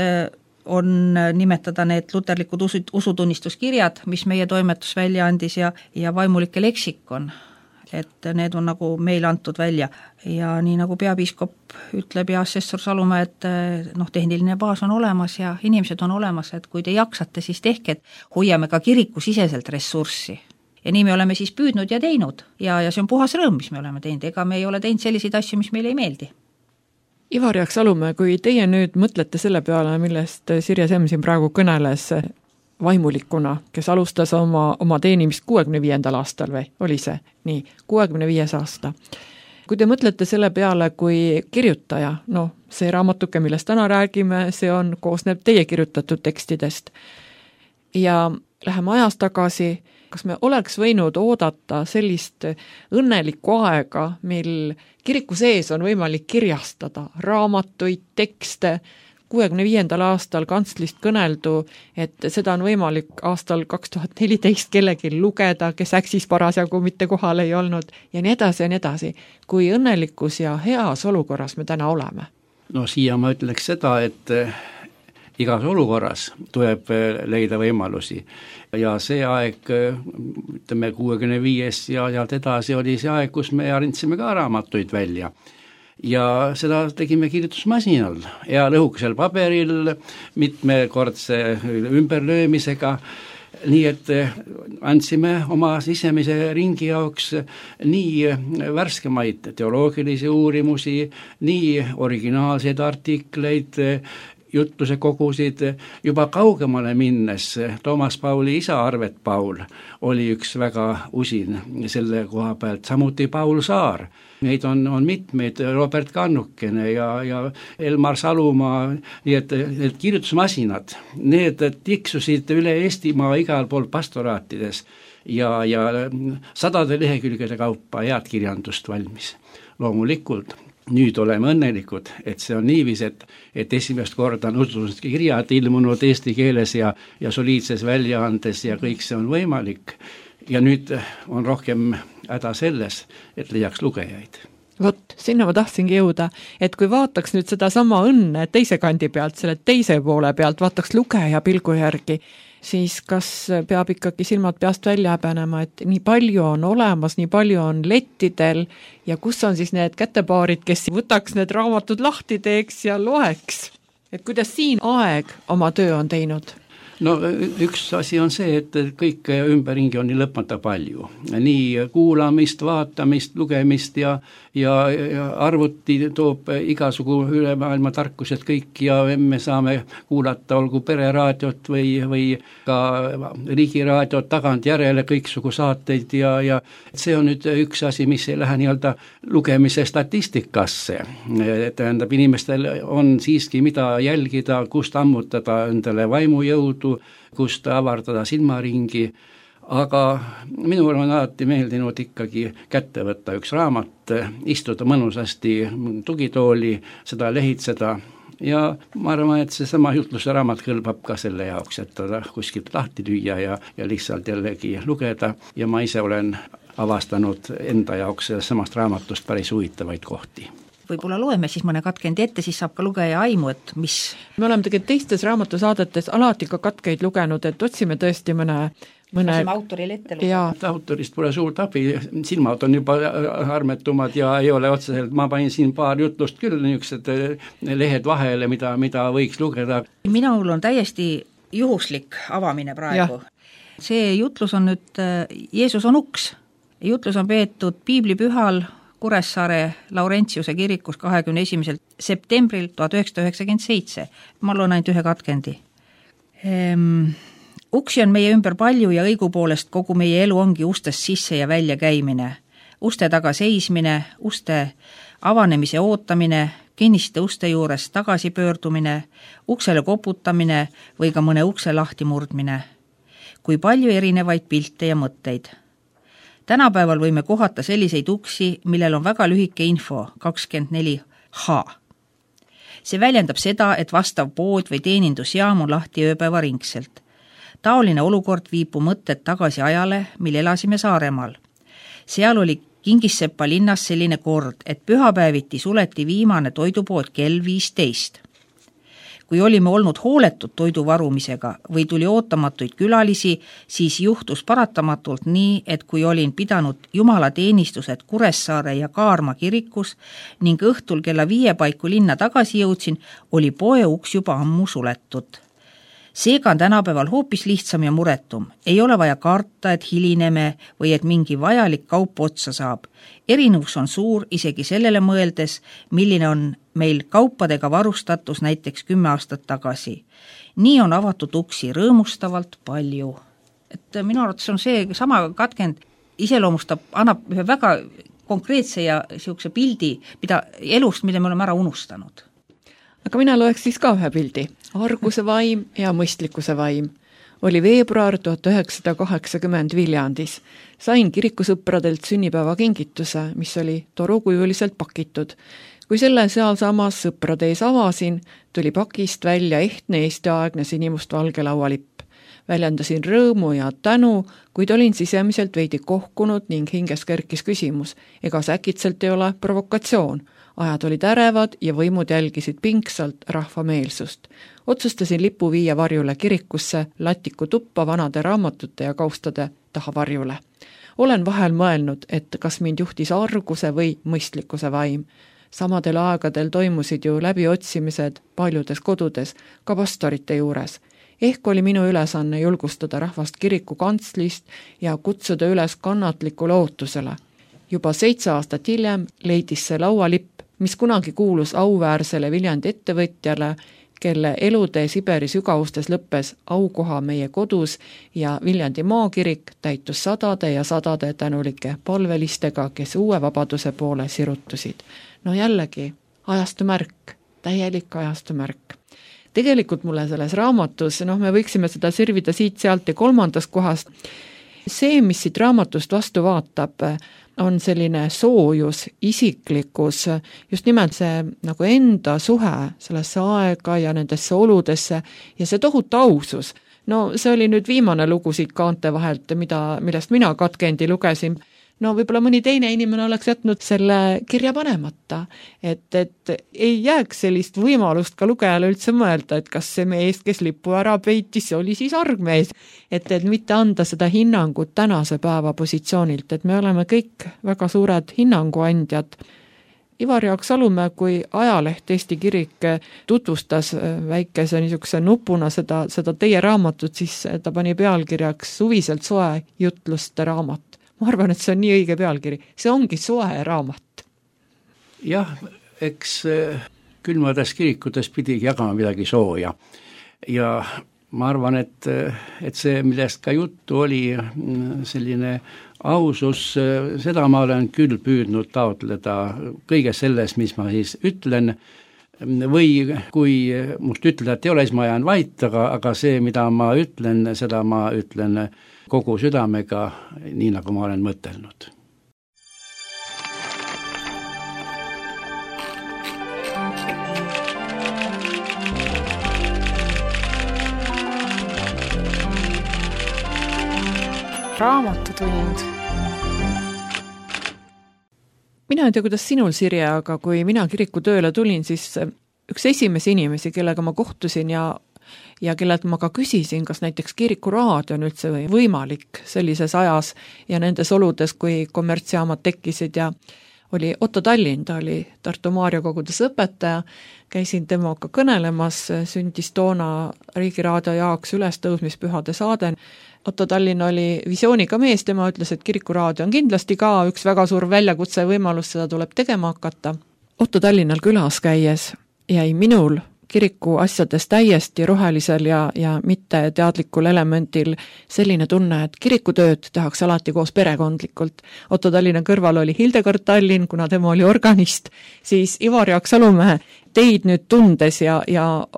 S1: on nimetada need luterlikud usutunnistuskirjad, mis meie toimetus välja andis ja vaimulike leksikon, et need on nagu meile antud välja. Ja nii nagu peapiiskop ütleb ja assessor Salumäe, et tehniline baas on olemas ja inimesed on olemas, et kui te jaksate, siis tehke, et hoiame ka kirikusiseselt ressurssi. Ja nii me oleme siis püüdnud ja teinud ja see on puhas rõõm, mis me oleme teinud, ega me ei ole teinud selliseid asju, mis meile ei meeldi.
S2: Ivar Salumäe, kui teie nüüd mõtlete selle peale, millest Sirje Semm siin praegu kõneles vaimulikuna, kes alustas oma teenimist 65. aastal või oli see? Nii, 65. aasta. Kui te mõtlete selle peale kui kirjutaja, see raamatuke, millest täna räägime, koosneb teie kirjutatud tekstidest ja läheme ajas tagasi, kas me oleks võinud oodata sellist õnnelikku aega, mil kiriku sees on võimalik kirjastada raamatuid, tekste, 65. aastal kantslist kõneldu, et seda on võimalik aastal 2014 kellegi lugeda, kes äksis parasjagu mitte kohal ei olnud ja nii edasi ja nii edasi. Kui õnnelikus ja heas olukorras me täna oleme?
S3: Siia ma ütleks seda, et igas olukorras tuleb leida võimalusi ja see aeg, ütleme 65 ja edasi oli see aeg, kus me arindsime ka raamatuid välja. Ja seda tegime kirjutusmasinal ja lõhukesel paberil mitmekordse ümberlöömisega, nii et andsime oma sisemise ringi jaoks nii värskemaid teoloogilisi uurimusi, nii originaalseid artikleid, jutluse kogusid, juba kaugemale minnes Toomas Pauli isa Arvet Paul oli üks väga usin selle koha pealt, samuti Paul Saar. Neid on mitmeid, Robert Kannukene ja Elmar Salumaa, nii et need kirjutusmasinad, need tiksusid üle Eestimaa igal pool pastoraatides ja sadade lehekülgede kaupa head kirjandust valmis. Loomulikult nüüd oleme õnnelikud, et see on niivis, et esimest korda on usulised kirjad ilmunud eesti keeles ja soliidses väljaandes ja kõik see on võimalik. Ja nüüd on rohkem häda selles, et leiaks lugejaid.
S2: Vot, sinna ma tahtsingi jõuda, et kui vaataks nüüd seda sama õnne teise kandi pealt, selle teise poole pealt, vaataks lugeja pilgu järgi, siis kas peab ikkagi silmad peast välja häbenema, et nii palju on olemas, nii palju on lettidel ja kus on siis need kätepaarid, kes võtaks need raamatud lahti teeks ja loeks? Et kuidas siin aeg oma töö on teinud?
S3: Üks asi on see, et kõik ümberringi on nii lõpmata palju. Nii kuulamist, vaatamist, lugemist ja arvuti toob igasugu üle maailma tarkused kõik ja me saame kuulata olgu pereraadiot või ka riigiraadiot tagantjärele kõiksugu saateid ja see on nüüd üks asi, mis ei lähe nii-öelda lugemise statistikasse. Tähendab, inimestel on siiski mida jälgida, kust ammutada endale vaimujõudu, kust avardada silmaringi, aga minul on alati meeldinud ikkagi kätte võtta üks raamat, istuda mõnusasti tugitooli, seda lehitseda ja ma arvan, et see sama jutluse raamat kõlbab ka selle jaoks, et ta kuskilt lahti lüüa ja lihtsalt jällegi lugeda ja ma ise olen avastanud enda jaoks samast raamatust päris huvitavaid kohti.
S1: Võib-olla loeme siis mõne katkendi ette, siis saab ka lugeja aimu, et mis... Me
S2: oleme tegelikult teistes raamatusaadetes alati ka katkeid lugenud, et otsime tõesti mõne
S1: autorile ette lugeda.
S3: Autorist pole suurt abi, silmad on juba armetumad ja ei ole otseselt, ma panin siin paar jutlust küll, niisugused lehed vahele, mida võiks lugeda.
S1: Minul on täiesti juhuslik avamine praegu. Ja. See jutlus on nüüd Jeesus on uks. Jutlus on peetud piiblipühal Kuressaare Laurentiuse kirikus 21. septembril 1997. Ma loen ainult ühe katkendi. Uksi on meie ümber palju ja õigupoolest kogu meie elu ongi ustest sisse ja välja käimine. uste taga seismine, uste avanemise ootamine, kinniste uste juures tagasipöördumine, uksele koputamine või ka mõne ukse lahti murdmine. Kui palju erinevaid pilte ja mõtteid. Tänapäeval võime kohata selliseid uksi, millel on väga lühike info, 24H. See väljendab seda, et vastav pood või teenindusjaam on lahti ööpäeva ringselt. Taoline olukord viib mõtted tagasi ajale, mil elasime Saaremaal. Seal oli Kingissepa linnas selline kord, et pühapäeviti suleti viimane toidupood kell 15. Kui olime olnud hooletud toidu varumisega või tuli ootamatuid külalisi, siis juhtus paratamatult nii, et kui olin pidanud jumalateenistused Kuressaare ja Kaarma kirikus ning õhtul kella 5 paiku linna tagasi jõudsin, oli poe uks juba ammu suletud. Seega on tänapäeval hoopis lihtsam ja muretum. Ei ole vaja karta, et hilineme või et mingi vajalik kaup otsa saab. Erinevus on suur isegi sellele mõeldes, milline on meil kaupadega varustatus näiteks 10 aastat tagasi. Nii on avatud uksi rõõmustavalt palju. Et minu arvates on see sama katkend iseloomustab, annab ühe väga konkreetse ja siukse pildi elust, mida me oleme ära unustanud.
S2: Aga mina loeks siis ka ühe pildi. Arguse vaim ja mõistlikkuse vaim. Oli veebruar 1980 Viljandis. Sain kirikusõpradelt sünnipäeva kingituse, mis oli torukujuliselt pakitud. Kui selle sealsamas sõprade ees avasin, tuli pakist välja ehtne eestiaegne sinimustvalge laualipp. Väljendasin rõõmu ja tänu, kuid olin sisemiselt veidi kohkunud ning hinges kerkis küsimus, ega see äkitselt ei ole provokatsioon. Ajad olid ärevad ja võimud jälgisid pingsalt rahvameelsust. Otsustasin lipu viia varjule kirikusse, latiku tuppa vanade raamatute ja kaustade taha varjule. Olen vahel mõelnud, et kas mind juhtis arguse või mõistlikkuse vaim. Samadel aegadel toimusid ju läbiotsimised paljudes kodudes, ka pastorite juures. Ehk oli minu ülesanne julgustada rahvast kiriku kantslist ja kutsuda üles kannatlikule ootusele. Juba 7 aastat hiljem leidis see laualipp, mis kunagi kuulus auväärsele Viljandi ettevõtjale, kelle elutee Siberi sügavustes lõppes aukoha meie kodus ja Viljandi maakirik täitus sadade ja sadade tänulike palvelistega, kes uue vabaduse poole sirutusid. No jällegi, ajastu märk, täielik ajastu märk. Tegelikult mulle selles raamatus, me võiksime seda sirvida siit-sealt ja 3. kohast. See, mis siit raamatust vastu vaatab, on selline soojus, isiklikkus, just nimelt see nagu enda suhe sellesse aega ja nendesse oludesse ja see tohutu ausus. No see oli nüüd viimane lugu siit kaante vahelt, millest mina katkendi lugesin. No võib-olla mõni teine inimene oleks jätnud selle kirja panemata, et ei jääks sellist võimalust ka lugejale üldse mõelda, et kas see mees, kes lipu ära peitis, see oli siis argmees, et mitte anda seda hinnangut tänase päeva positsioonilt, et me oleme kõik väga suured hinnanguandjad. Ivar Jaak Salumäe, kui ajaleht Eesti Kirik tutvustas väikese niisuguse nupuna seda teie raamatut, siis ta pani pealkirjaks suviselt soe jutluste raamat. Ma arvan, et see on nii õige pealkiri. See ongi soe raamat.
S3: Jah, eks külmades kirikutes pidigi jagama midagi sooja. Ja ma arvan, et see, millest ka juttu oli, selline ausus, seda ma olen küll püüdnud taotleda kõige selles, mis ma siis ütlen, või kui must ütleda, et ei ole, siis ma jään vait, aga see, mida ma ütlen, seda ma ütlen kogu südamega, nii nagu ma olen mõtelnud.
S4: Raamatutund.
S2: Mina ei tea, kuidas sinul, Sirje, aga kui mina kiriku tööle tulin, siis üks esimesi inimesi, kellega ma kohtusin ja kellelt ma ka küsisin, kas näiteks kirikuraadio on üldse võimalik sellises ajas ja nendes oludes, kui kommertsjaamad tekkisid ja oli Otto Tallinn, ta oli Tartu Maarja kogudes õpetaja, käisin temaga kõnelemas, sündis toona Riigiraadio jaoks ülestõusmispühade saade. Otto Tallinn oli visiooniga mees, tema ütles, et kirikuraadio on kindlasti ka üks väga suur väljakutse võimalus, seda tuleb tegema hakata. Otto Tallinnal külas käies jäi minul kiriku asjades täiesti rohelisel ja mitte teadlikul elemendil selline tunne, et kirikutööd tehakse alati koos perekondlikult. Otto Tallinna kõrval oli Hildegard Tallinn, kuna tema oli organist, siis Ivar Jaak Salumäe teid nüüd tundes ja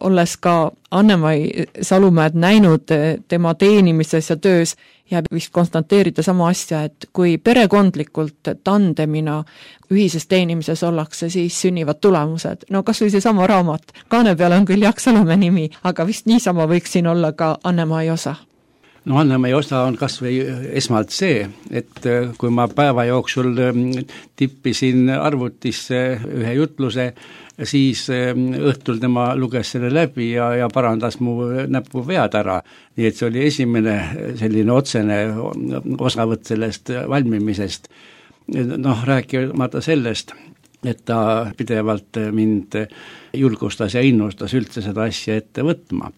S2: olles ka Anne-Mai Salumäed näinud tema teenimises ja töös, jääb vist konstanteerida sama asja, et kui perekondlikult tandemina ühises teenimises ollakse, siis sünnivad tulemused. No kas või see sama raamat. Kaane peale on küll Jaak Salumäe nimi, aga vist niisama võiks siin olla ka Anne-Mai osa.
S3: No Anne-Mai osa on kas või esmalt see, et kui ma päeva jooksul tippisin arvutisse ühe jutluse, siis õhtul tema luges selle läbi ja parandas mu näpuvead ära. Nii et see oli esimene selline otsene osavõtt sellest valmimisest. Noh, rääkimata sellest, et ta pidevalt mind julgustas ja innustas üldse seda asja ette võtma.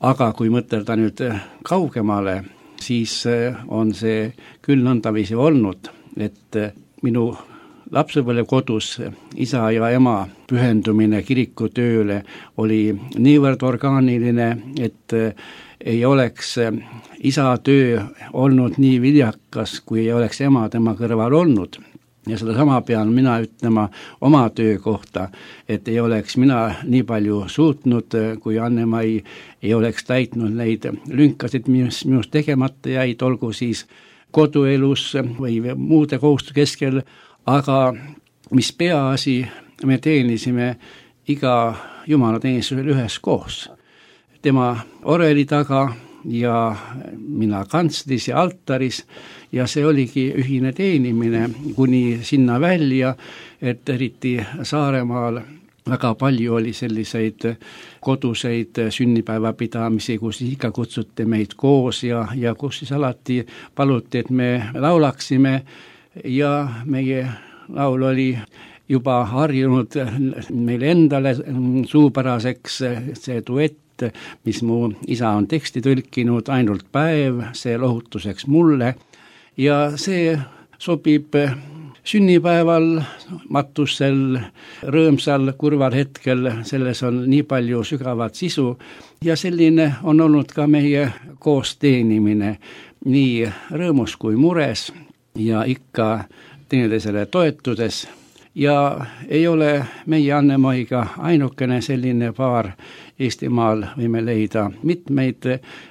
S3: Aga kui mõtelda nüüd kaugemale, siis on see küll nõndaviisi olnud, et minu lapsepõlve kodus isa ja ema pühendumine kirikutööle oli niivõrd orgaaniline, et ei oleks isa töö olnud nii viljakas, kui ei oleks ema tema kõrval olnud. Ja seda sama pean mina ütlema oma töö kohta, et ei oleks mina nii palju suutnud, kui Anne-Mai ei oleks täitnud neid lünkasid, mis minust tegemata jäid, olgu siis koduelus või muude kohustuste keskel, aga mis peaasi, me teenisime iga jumalateenistusel üheskoos. Tema oreli taga ja mina kantslis ja altaris ja see oligi ühine teenimine kuni sinna välja, et eriti Saaremaal väga palju oli selliseid koduseid sünnipäevapidamisi, kus ikka kutsuti meid koos ja kus siis alati paluti, et me laulaksime ja meie laul oli juba harjunud meile endale suupäraseks see duett, mis mu isa on teksti tõlkinud, ainult päev, see lohutuseks mulle ja see sobib sünnipäeval, matusel, rõõmsal, kurval hetkel, selles on nii palju sügavat sisu ja selline on olnud ka meie koos teenimine nii rõõmus kui mures ja ikka teineteisele toetudes. Ja ei ole meie Anne-Maiga ainukene selline paar Eestimaal, võime leida mitmeid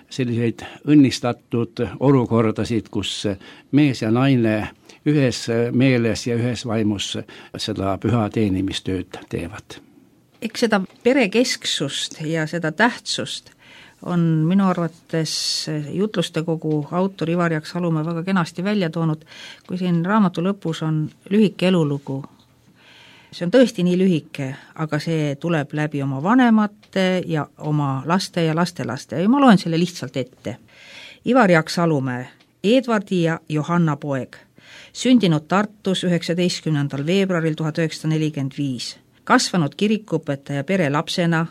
S3: selliseid õnnistatud olukordasid, kus mees ja naine ühes meeles ja ühes vaimus seda püha teenimistööd teevad.
S1: Eks seda perekesksust ja seda tähtsust on minu arvates jutluste kogu autor Ivar Jaak Salumäe väga kenasti välja toonud, kui siin raamatu lõpus on lühike elulugu. See on tõesti nii lühike, aga see tuleb läbi oma vanemate ja oma laste ja lastelaste ja ma loen selle lihtsalt ette. Ivar Jaak Salumäe, Edvardi ja Johanna poeg, sündinud Tartus 19. veebruaril 1945, kasvanud kirikuõpetaja pere lapsena,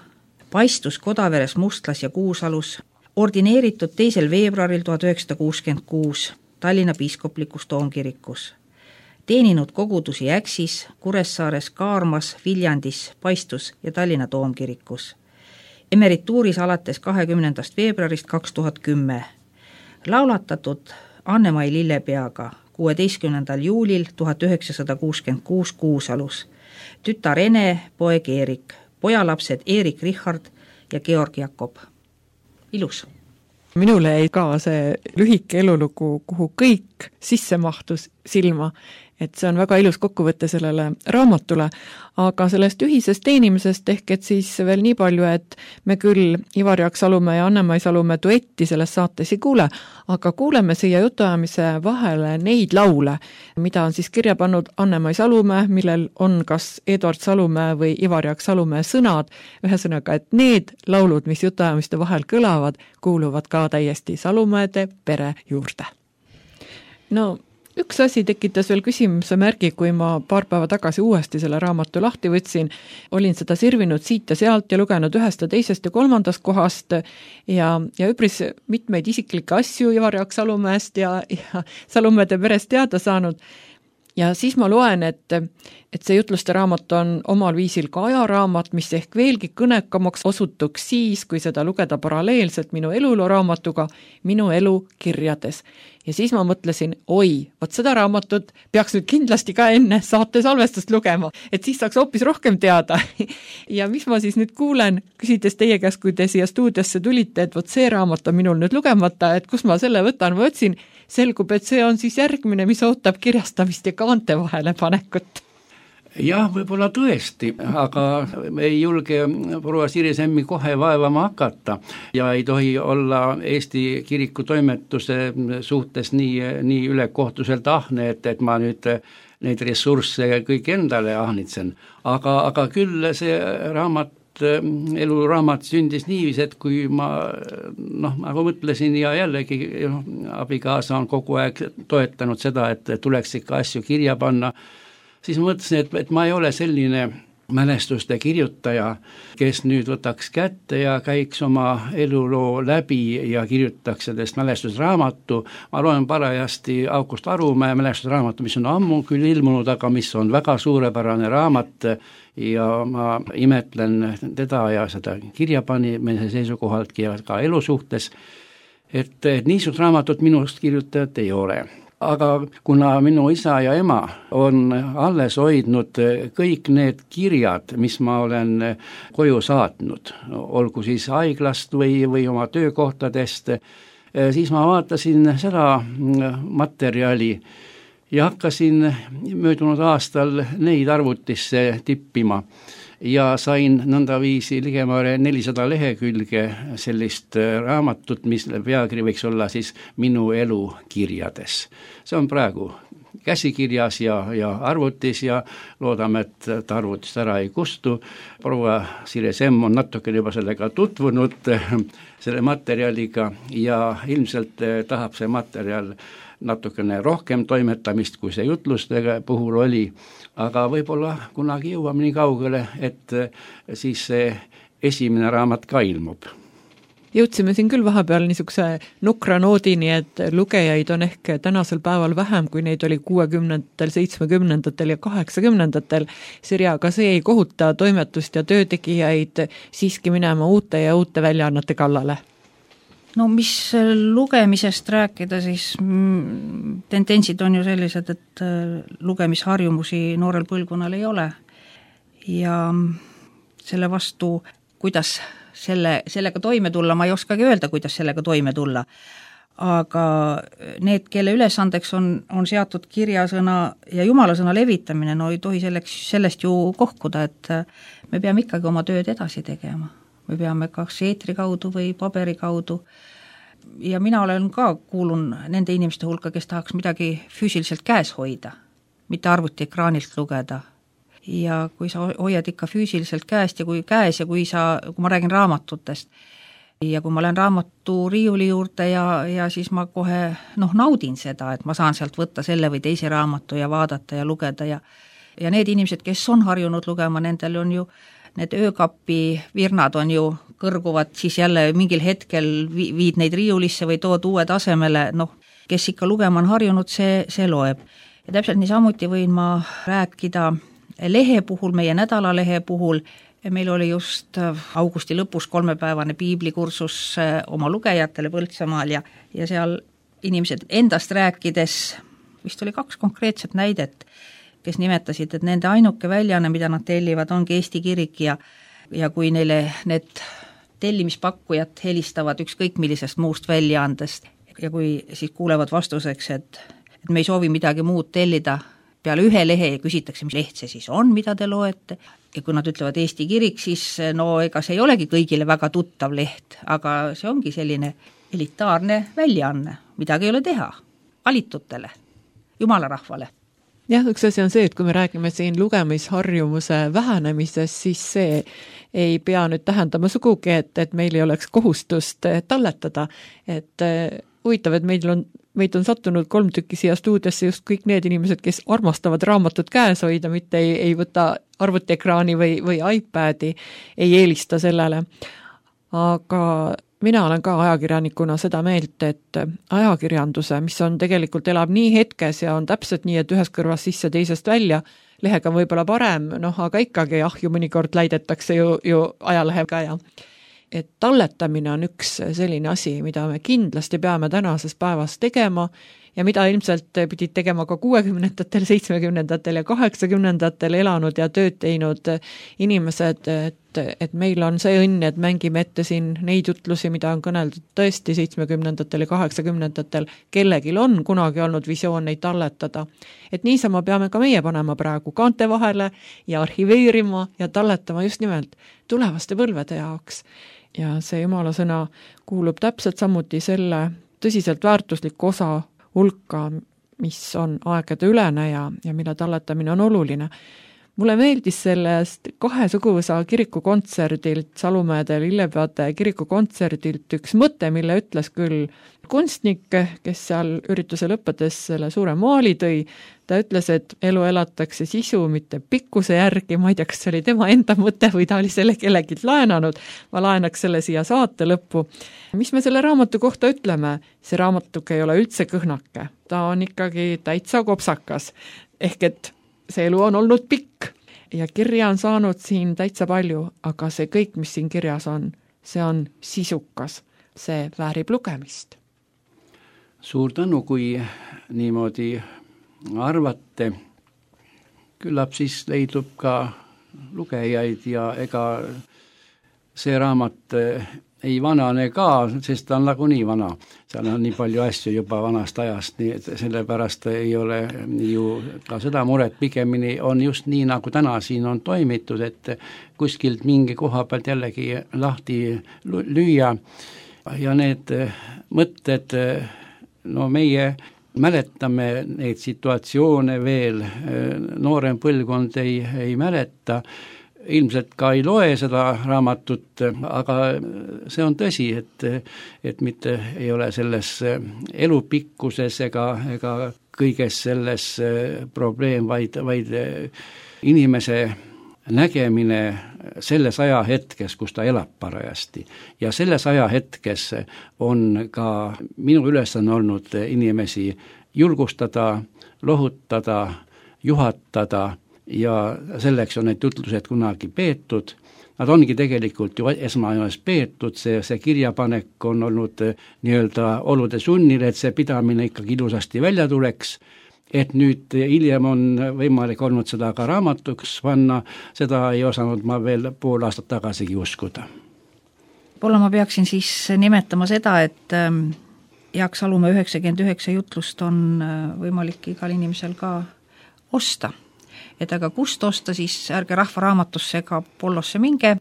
S1: paistus Kodaveres, Mustlas ja Kuusalus, ordineeritud 2. veebruaril 1966 Tallinna piiskoplikus toomkirikus. Teeninud kogudusi Äksis, Kuressaares, Kaarmas, Viljandis, Paistus ja Tallinna toomkirikus. Emerituuris alates 20. veebruarist 2010. Laulatatud Anne-Mai Lillepeaga 16. juulil 1966 Kuusalus. Tütar Ene, poeg Eerik, pojalapsed Eerik Richard ja Georg Jakob. Ilus.
S2: Minule jäi ka see lühike elulugu, kuhu kõik sisse mahtus silma, et see on väga ilus kokkuvõte sellele raamatule, aga sellest ühisest teenimisest ehk et siis veel nii palju, et me küll Ivar Jaak Salumäe ja Anne-Mai Salumäe duetti selles saates ei kuule, aga kuuleme siia jutuajamise vahele neid laule, mida on siis kirja pannud Anne-Mai Salumäe, millel on kas Edward Salumäe või Ivar Jaak Salumäe sõnad, ühesõnaga, et need laulud, mis jutuajamiste vahel kõlavad, kuuluvad ka täiesti Salumäede pere juurde. No, üks asi tekitas veel küsimuse märgi, kui ma paar päeva tagasi uuesti selle raamatu lahti võtsin. Olin seda sirvinud siit ja sealt ja lugenud ühest ja teisest ja kolmandast kohast ja üpris mitmeid isiklikke asju Ivar Jaak Salumäest ja Salumäede perest teada saanud. Ja siis ma loen, et see jutluste raamat on omal viisil ka ajaraamat, mis ehk veelgi kõnekamaks osutuks siis, kui seda lugeda paralleelselt minu eluloo raamatuga Minu elu kirjades. Ja siis ma mõtlesin, vot seda raamatut peaks nüüd kindlasti ka enne saate salvestust lugema, et siis saaks hoopis rohkem teada. Ja mis ma siis nüüd kuulen, küsides teie käest, kui te siia stuudiosse tulite, et vot see raamat on minul nüüd lugemata, et kus ma selle võtan, ma otsin, selgub, et see on siis järgmine, mis ootab kirjastamist ja kaante vahele panekut.
S3: Jah, võib-olla tõesti, aga ei julge proua Sirje Semmi kohe vaevama hakata ja ei tohi olla Eesti kiriku toimetuse suhtes nii ülekohtuselt ahne, et ma nüüd neid ressursse kõik endale ahnitsen. Aga küll see eluraamat sündis niivis, et kui ma nagu mõtlesin ja jällegi abikaasa on kogu aeg toetanud seda, et tuleks ikka asju kirja panna, siis ma mõtlesin, et ma ei ole selline mälestuste kirjutaja, kes nüüd võtaks kätte ja käiks oma eluloo läbi ja kirjutaks sellest mälestusraamatu. Ma loen parajasti August Arumäe mälestusraamatu, mis on ammu küll ilmunud, aga mis on väga suurepärane raamat ja ma imetlen teda ja seda kirjapanemise seisukohaltki ja ka elu suhtes, et niisugust raamatut minust kirjutajat ei ole. Aga kuna minu isa ja ema on alles hoidnud kõik need kirjad, mis ma olen koju saatnud, olgu siis haiglast või oma töökohtadest, siis ma vaatasin seda materjali ja hakkasin möödunud aastal neid arvutisse tippima ja sain nõndaviisi ligemale 400 lehekülge sellist raamatut, mis pealkiri võiks olla siis Minu elu kirjades. See on praegu käsikirjas ja arvutis ja loodame, et arvutist ära ei kustu. Proua Sirje Semm on natuke juba sellega tutvunud, selle materjaliga ja ilmselt tahab see materjal natukene rohkem toimetamist, kui see jutluste puhul oli, aga võib-olla kunagi jõuame nii kaugele, et siis see esimene raamat ka ilmub.
S2: Jõudsime siin küll vahepeal niisuguse nukra noodini, et lugejaid on ehk tänasel päeval vähem, kui neid oli 60-ndatel, 70-ndatel ja 80-ndatel. Sirja, aga see ei kohuta toimetust ja töötegijaid siiski minema uute ja uute väljaannete kallale?
S1: No mis lugemisest rääkida, siis tendentsid on ju sellised, et lugemisharjumusi noorel põlvkonnal ei ole ja selle vastu, kuidas sellega toime tulla, ma ei oskagi öelda, kuidas sellega toime tulla, aga need, kelle ülesandeks on seatud kirjasõna ja jumalasõna levitamine, no ei tohi sellest ju kohkuda, et me peame ikkagi oma tööd edasi tegema. Me peame kas eetri kaudu või paberi kaudu ja mina kuulun nende inimeste hulka, kes tahaks midagi füüsiliselt käes hoida, mitte arvutiekraanilt lugeda. Ja kui sa hoiad ikka füüsiliselt käest ja kui ma räägin raamatutest ja kui ma lähen raamatu riiuli juurde ja siis ma kohe naudin seda, et ma saan sealt võtta selle või teise raamatu ja vaadata ja lugeda ja need inimesed, kes on harjunud lugema, nendel on ju need öökapi virnad on ju kõrguvad, siis jälle mingil hetkel viid neid riiulisse või tood uue tasemele, kes ikka lugema on harjunud, see loeb. Ja täpselt niisamuti võin ma rääkida lehe puhul, meie nädalalehe puhul, meil oli just augusti lõpus 3-päevane piiblikursus oma lugejatele Põltsamaal ja seal inimesed endast rääkides, vist oli 2 konkreetset näidet, kes nimetasid, et nende ainuke väljaanne, mida nad tellivad, ongi Eesti kirik ja kui neile need tellimispakkujad helistavad ükskõik millisest muust väljaandest ja kui siis kuulevad vastuseks, et me ei soovi midagi muud tellida peale ühe lehe ja küsitakse, mis leht see siis on, mida te loete ja kui nad ütlevad Eesti kirik, siis ega see ei olegi kõigile väga tuttav leht, aga see ongi selline elitaarne väljaanne, midagi ei ole teha, valitutele, jumalarahvale.
S2: Jah, üks asi on see, et kui me räägime siin lugemisharjumuse vähenemisest, siis see ei pea nüüd tähendama sugugi, et meil ei oleks kohustust talletada. Et huvitav, et meid on sattunud 3 tükki siia stuudiosse just kõik need inimesed, kes armastavad raamatut käes hoida, mitte ei võta arvutiekraani või iPadi, ei eelista sellele. Aga mina olen ka ajakirjanikuna seda meelt, et ajakirjanduse, mis on tegelikult elab nii hetkes ja on täpselt nii, et ühest kõrvast sisse, teisest välja, lehega on võib-olla parem, aga ikkagi ju mõnikord läidetakse ju ajalehega ja et talletamine on üks selline asi, mida me kindlasti peame tänases päevas tegema ja mida ilmselt pidid tegema ka 60-ndatel, 70-ndatel ja 80-ndatel elanud ja tööd teinud inimesed, et meil on see õnn, et mängime ette siin neid jutlusi, mida on kõneldud tõesti 70-ndatel ja 80-ndatel, kellegil on kunagi olnud visioon neid talletada. Et niisama peame ka meie panema praegu kaante vahele ja arhiveerima ja talletama just nimelt tulevaste põlvede jaoks. Ja see Jumala sõna kuulub täpselt samuti selle tõsiselt väärtusliku osa hulka, mis on aegade ülene ja mille talletamine on oluline. Mulle meeldis sellest 2 suguvõsa kirikukontserdilt, Salumäede Lillepeade kirikukontserdilt üks mõte, mille ütles küll kunstnik, kes seal ürituse lõppedes selle suure maali tõi. Ta ütles, et elu elatakse sisu, mitte pikkuse järgi. Ma ei tea, kas see oli tema enda mõte või ta oli selle kellegi laenanud. Ma laenaks selle siia saate lõppu. Mis me selle raamatu kohta ütleme? See raamatuke ei ole üldse kõhnake. Ta on ikkagi täitsa kopsakas. Ehk et see elu on olnud pikk ja kirja on saanud siin täitsa palju, aga see kõik, mis siin kirjas on, see on sisukas. See väärib lugemist.
S3: Suur tänu, kui niimoodi arvate. Küllap siis leidub ka lugejaid ja ega see raamat ei vanane ka, sest ta on nagunii vana. Seal on nii palju asju juba vanast ajast, nii et sellepärast ei ole ju ka seda muret, pigemini on just nii, nagu täna siin on toimitud, et kuskilt mingi koha pealt jällegi lahti lüüa ja need mõtted, no meie mäletame neid situatsioone veel, noorem põlvkond ei mäleta, ilmselt ka ei loe seda raamatut, aga see on tõsi, et mitte ei ole selles elupikkuses ega kõiges selles probleem, vaid inimese nägemine selles ajahetkes, kus ta elab parajasti. Ja selles ajahetkes on ka minu ülesanne olnud inimesi julgustada, lohutada, juhatada ja selleks on need jutlused kunagi peetud. Nad ongi tegelikult ju esmajoones peetud, see kirjapanek on olnud nii-öelda olude sunnil, et see pidamine ikkagi ilusasti välja tuleks, et nüüd hiljem on võimalik olnud seda ka raamatuks panna, seda ei osanud ma veel pool aastat tagasigi uskuda.
S1: Võib-olla ma peaksin siis nimetama seda, et Jaak Salumäe 99 jutlust on võimalik igal inimesel ka osta. Et aga kust osta, siis ärge Rahvaraamatusse ega Pollosse minge,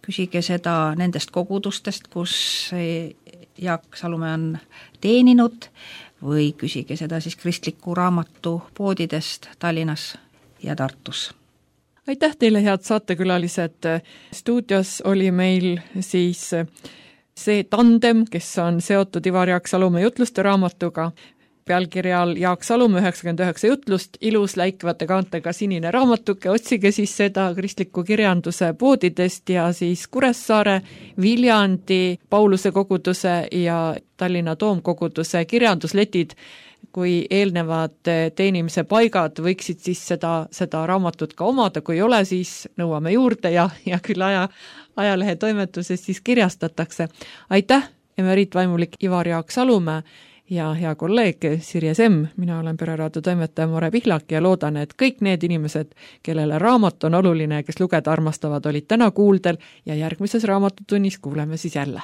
S1: küsige seda nendest kogudustest, kus Jaak Salumäe on teeninud, või küsige seda siis kristliku raamatu poodidest Tallinnas ja Tartus.
S2: Aitäh teile, head saatekülalised. Stuudios oli meil siis see tandem, kes on seotud Ivar Jaak Salumäe jutluste raamatuga, pealkirjal Jaak Salumäe 99 jutlust, ilus läikvate kaantega sinine raamatuke, otsige siis seda kristliku kirjanduse poodidest ja siis Kuressaare, Viljandi, Pauluse koguduse ja Tallinna Toomkoguduse kirjandusletid, kui eelnevad teenimise paigad võiksid siis seda raamatut ka omada, kui ei ole, siis nõuame juurde ja küll ajalehe toimetuses siis kirjastatakse. Aitäh, emeriitvaimulik Ivar Jaak Salumäe ja hea kolleeg Sirje Semm, mina olen Pereraadio toimetaja More Pihlak ja loodan, et kõik need inimesed, kellele raamat on oluline, kes lugeda armastavad, olid täna kuuldel ja järgmises raamatutunnis kuuleme siis jälle.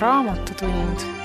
S4: Raamatutund.